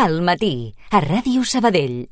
Al matí, a Ràdio Sabadell.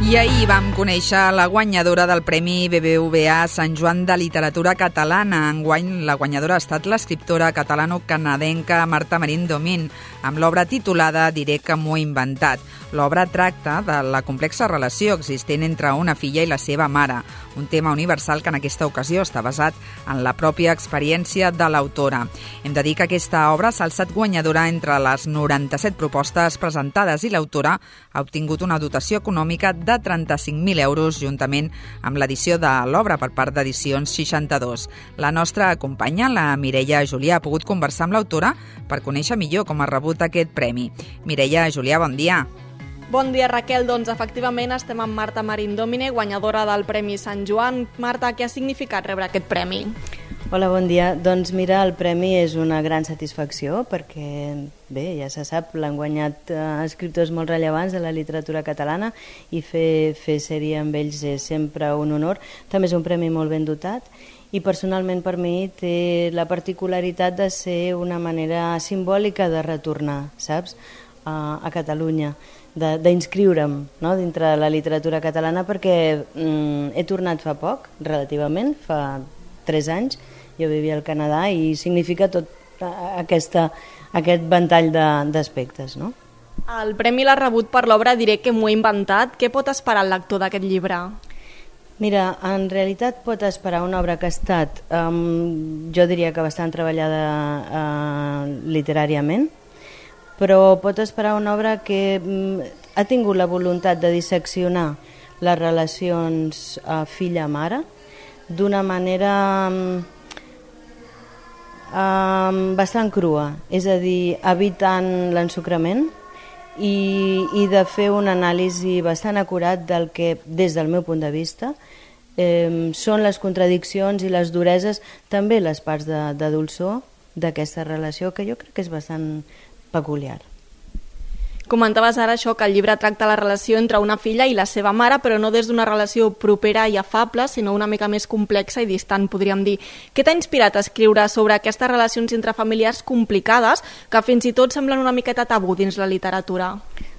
I ahir vam conèixer la guanyadora del Premi BBVA Sant Joan de Literatura Catalana. Enguany la guanyadora ha estat l'escriptora catalano-canadenca Marta Marín Domín, amb l'obra titulada Diré que m'ho he inventat. L'obra tracta de la complexa relació existent entre una filla i la seva mare, un tema universal que en aquesta ocasió està basat en la pròpia experiència de l'autora. Hem de dir que aquesta obra s'ha alçat guanyadora entre les 97 propostes presentades i l'autora ha obtingut una dotació econòmica de 35.000 euros juntament amb l'edició de l'obra per part d'Edicions 62. La nostra companya, la Mireia Julià, ha pogut conversar amb l'autora per conèixer millor com ha rebut aquest premi. Mireia Julià, bon dia. Bon dia, Raquel. Doncs efectivament estem amb Marta Marín Domine, guanyadora del Premi Sant Joan. Marta, què ha significat rebre aquest premi? Hola, bon dia. Doncs mira, el premi és una gran satisfacció perquè, bé, ja se sap, l'han guanyat escriptors molt rellevants de la literatura catalana i fer sèrie amb ells és sempre un honor. També és un premi molt ben dotat i personalment per mi té la particularitat de ser una manera simbòlica de retornar, saps?, a Catalunya, d'inscriure'm, no?, dintre de la literatura catalana perquè he tornat fa poc, relativament, fa 3 anys. Jo vivia al Canadà i significa tot aquest ventall d'aspectes, no? El premi l'ha rebut per l'obra Diré que m'ho he inventat. Què pot esperar el lector d'aquest llibre? Mira, en realitat pot esperar una obra que ha estat, jo diria que bastant treballada literàriament, però pot esperar una obra que ha tingut la voluntat de disseccionar les relacions filla-mare d'una manera bastant crua, és a dir, evitant l'ensucrament i de fer un anàlisi bastant acurat del que, des del meu punt de vista, són les contradiccions i les dureses, també les parts de dolçor d'aquesta relació, que jo crec que és bastant peculiar. Comentaves ara això, que el llibre tracta la relació entre una filla i la seva mare, però no des d'una relació propera i afable, sinó una mica més complexa i distant, podríem dir. Què t'ha inspirat a escriure sobre aquestes relacions intrafamiliars complicades que fins i tot semblen una miqueta tabú dins la literatura?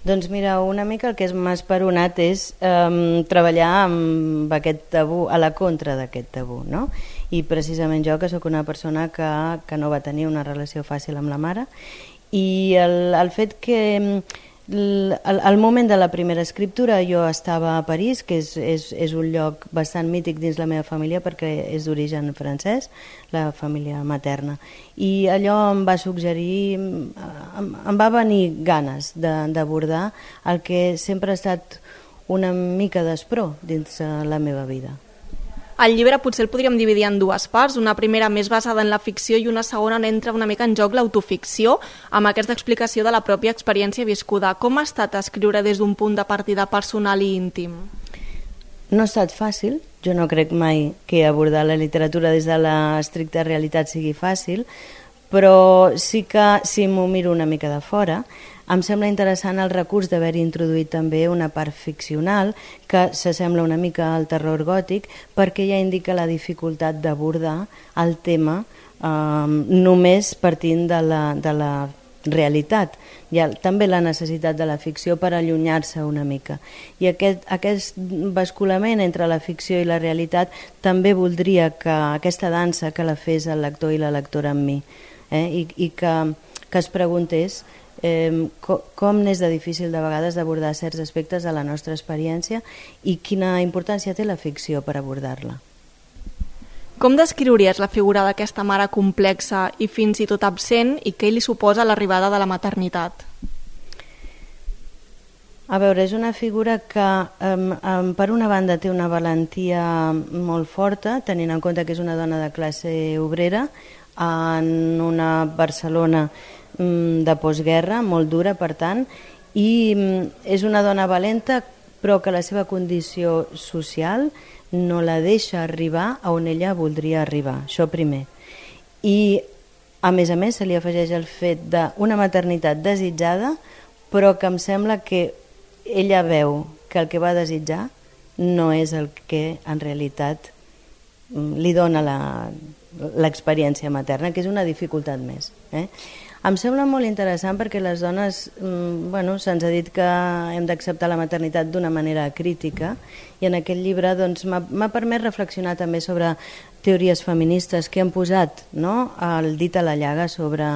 Doncs mira, una mica el que m'ha esperonat és treballar amb aquest tabú, a la contra d'aquest tabú, no? I precisament jo, que sóc una persona que no va tenir una relació fàcil amb la mare, i el fet que al moment de la primera escriptura jo estava a París, que és un lloc bastant mític dins la meva família perquè és d'origen francès, la família materna, i allò em va suggerir, em va venir ganes d'abordar el que sempre ha estat una mica d'espró dins la meva vida. El llibre potser el podríem dividir en 2 parts, una primera més basada en la ficció i una segona on entra una mica en joc l'autoficció, amb aquesta explicació de la pròpia experiència viscuda. Com ha estat escriure des d'un punt de partida personal i íntim? No ha estat fàcil, jo no crec mai que abordar la literatura des de l'estricta realitat sigui fàcil, però sí que, si m'ho miro una mica de fora, em sembla interessant el recurs d'haver introduït també una part ficcional que s'assembla una mica al terror gòtic perquè ja indica la dificultat d'abordar el tema només partint de la realitat. Hi ha també la necessitat de la ficció per allunyar-se una mica. I aquest basculament entre la ficció i la realitat també voldria que aquesta dansa que la fes el lector i la lectora amb mi, i que es preguntés com n'és de difícil de vegades d'abordar certs aspectes de la nostra experiència i quina importància té la ficció per abordar-la. Com descriuries la figura d'aquesta mare complexa i fins i tot absent i què li suposa l'arribada de la maternitat? A veure, és una figura que per una banda té una valentia molt forta, tenint en compte que és una dona de classe obrera en una Barcelona de postguerra, molt dura per tant, i és una dona valenta però que la seva condició social no la deixa arribar a on ella voldria arribar, això primer. I a més se li afegeix el fet d'una maternitat desitjada, però que em sembla que ella veu que el que va desitjar no és el que en realitat li dona l'experiència materna, que és una dificultat més. Em sembla molt interessant perquè les dones, se'ns ha dit que hem d'acceptar la maternitat d'una manera crítica, i en aquest llibre m'ha permès reflexionar també sobre teories feministes que han posat el dit a la llaga sobre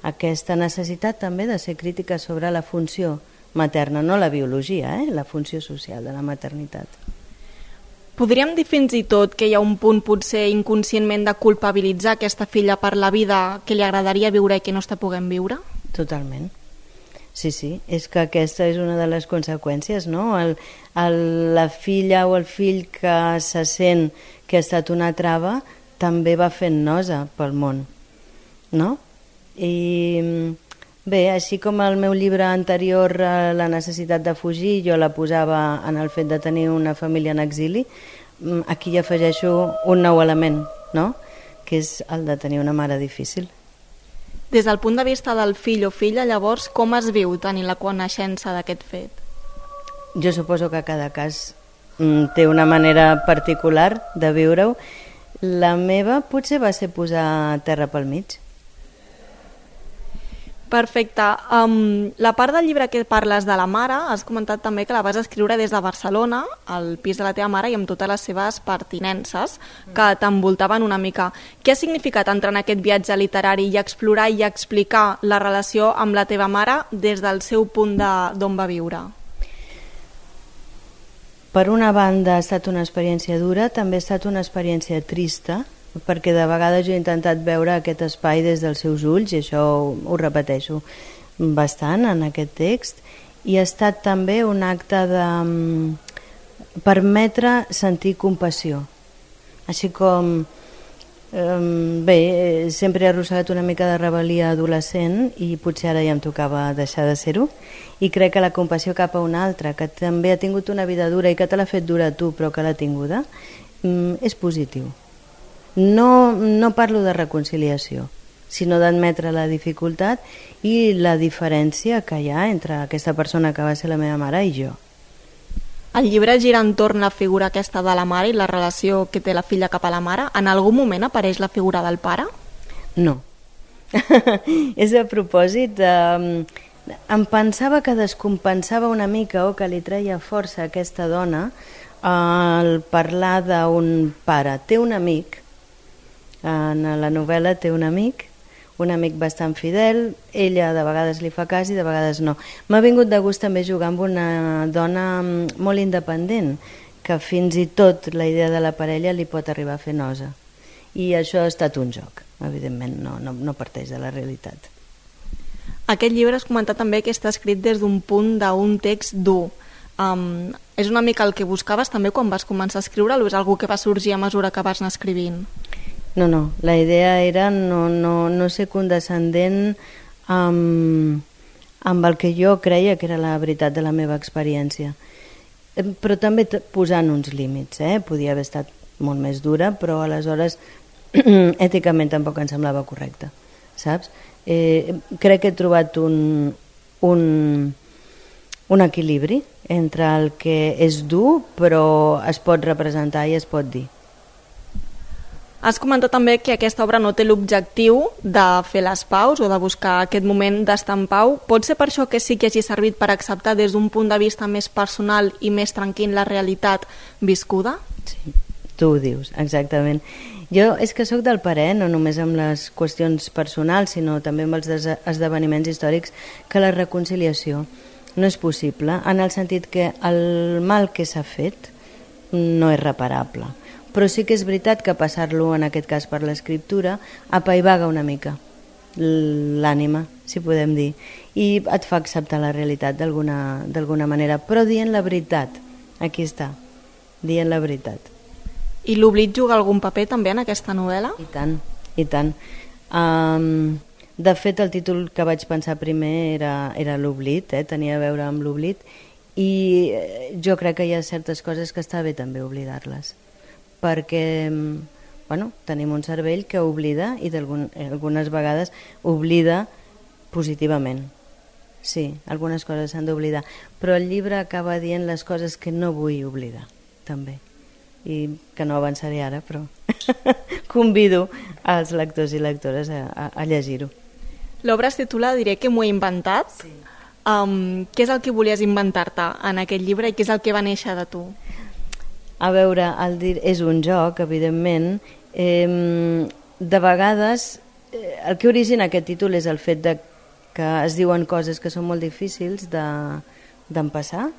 aquesta necessitat també de ser crítica sobre la funció materna, no la biologia, la funció social de la maternitat. Podríem dir fins i tot que hi ha un punt potser inconscientment de culpabilitzar aquesta filla per la vida que li agradaria viure i que no està podent viure? Totalment. Sí, és que aquesta és una de les conseqüències, no? La filla o el fill que se sent que ha estat una trava també va fent nosa pel món, no? I bé, així com el meu llibre anterior, La necessitat de fugir, jo la posava en el fet de tenir una família en exili, aquí hi afegeixo un nou element, no? Que és el de tenir una mare difícil. Des del punt de vista del fill o filla, llavors, com es viu tenir la coneixença d'aquest fet? Jo suposo que cada cas té una manera particular de viure-ho. La meva potser va ser posar terra pel mig. Perfecte. La part del llibre que parles de la mare, has comentat també que la vas escriure des de Barcelona, al pis de la teva mare, i amb totes les seves pertinences que t'envoltaven una mica. Què ha significat entrar en aquest viatge literari i explorar i explicar la relació amb la teva mare des del seu punt d'on va viure? Per una banda ha estat una experiència dura, també ha estat una experiència trista, perquè de vegades jo he intentat veure aquest espai des dels seus ulls, i això ho repeteixo bastant en aquest text, i ha estat també un acte de permetre sentir compassió, així com sempre he arrossegat una mica de rebel·lia adolescent i potser ara ja em tocava deixar de ser-ho, i crec que la compassió cap a un altre que també ha tingut una vida dura i que te l'ha fet dura a tu però que l'ha tinguda és positiu. No parlo de reconciliació, sinó d'admetre la dificultat i la diferència que hi ha entre aquesta persona que va ser la meva mare i jo. El llibre gira entorn la figura aquesta de la mare i la relació que té la filla cap a la mare. En algun moment apareix la figura del pare? No. És a propòsit. Em pensava que descompensava una mica o que li treia força a aquesta dona al parlar d'un pare. Té un amic, en la novel·la té un amic bastant fidel, ella de vegades li fa cas i de vegades no. M'ha vingut de gust també jugar amb una dona molt independent, que fins i tot la idea de la parella li pot arribar a fer nosa. I això ha estat un joc, evidentment, no parteix de la realitat. Aquest llibre has comentat també que està escrit des d'un punt d'un text dur. És una mica el que buscaves també quan vas començar a escriure o és algo que va sorgir a mesura que vas anar escrivint? No, la idea era no ser condescendent amb el que jo creia que era la veritat de la meva experiència, però també posant uns límits. Podia haver estat molt més dura, però aleshores èticament tampoc em semblava correcte, saps? Crec que he trobat un equilibri entre el que és dur però es pot representar i es pot dir. Has comentat també que aquesta obra no té l'objectiu de fer les paus o de buscar aquest moment d'estar en pau. Pot ser per això que sí que hagi servit per acceptar des d'un punt de vista més personal i més tranquil la realitat viscuda? Sí, tu ho dius, exactament. Jo és que sóc del parer, no només amb les qüestions personals, sinó també amb els esdeveniments històrics, que la reconciliació no és possible, en el sentit que el mal que s'ha fet no és reparable. Però sí que és veritat que passar-lo, en aquest cas per l'escriptura, apaivaga una mica l'ànima, si podem dir, i et fa acceptar la realitat d'alguna manera, però dient la veritat. Aquí està, dient la veritat. I l'oblit juga algun paper també en aquesta novel·la? I tant, i tant. De fet, el títol que vaig pensar primer era l'oblit, tenia a veure amb l'oblit, i jo crec que hi ha certes coses que està bé també oblidar-les, perquè tenim un cervell que oblida i algunes vegades oblida positivament. Sí, algunes coses s'han d'oblidar, però el llibre acaba dient les coses que no vull oblidar, també, i que no avançaré ara, però convido als lectors i lectores a llegir-ho. L'obra es titula Diré que m'ho he inventat. Sí. Què és el que volies inventar-te en aquest llibre i què és el que va néixer de tu? A veure, és un joc, evidentment. De vegades, el que origina aquest títol és el fet de que es diuen coses que són molt difícils d'empassar,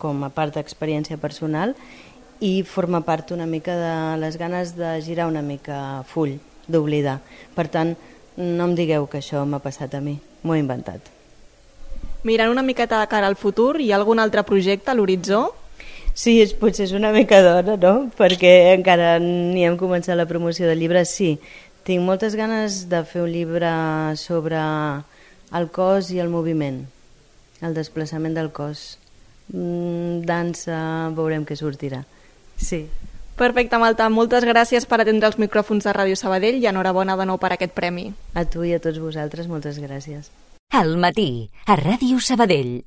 com a part d'experiència personal, i forma part una mica de les ganes de girar una mica full, d'oblidar. Per tant, no em digueu que això m'ha passat a mi, m'ho he inventat. Mirant una miqueta de cara al futur, hi ha algun altre projecte a l'horitzó? Sí, potser és una mica d'hora, no? Perquè encara ni hem començat la promoció del llibre. Sí, tinc moltes ganes de fer un llibre sobre el cos i el moviment, el desplaçament del cos. Dansa, veurem què sortirà. Sí. Perfecte, Malta. Moltes gràcies per atendre els micròfons de Ràdio Sabadell i enhorabona de nou per aquest premi. A tu i a tots vosaltres, moltes gràcies. Al matí, a Ràdio Sabadell.